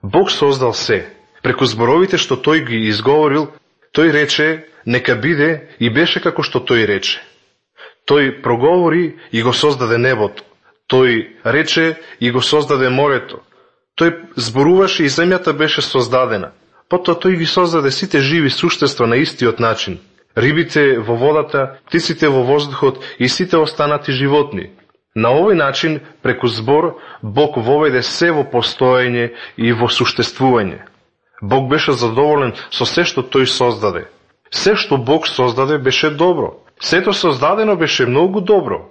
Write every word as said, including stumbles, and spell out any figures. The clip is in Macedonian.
Бог создал се. Преку зборовите што тој ги изговорил, тој рече нека биде и беше како што тој рече. Тој проговори и го создаде небото. Тој рече и го создаде морето. Тој зборуваше и земјата беше создадена. Потоа тој ги создаде сите живи суштества на истиот начин. Рибите во водата, птиците во воздухот и сите останати животни. На овој начин, преку збор, Бог воведе се во постоење и во суштествување. Бог беше задоволен со се што тој создаде. Се што Бог создаде беше добро. Сето создадено беше многу добро.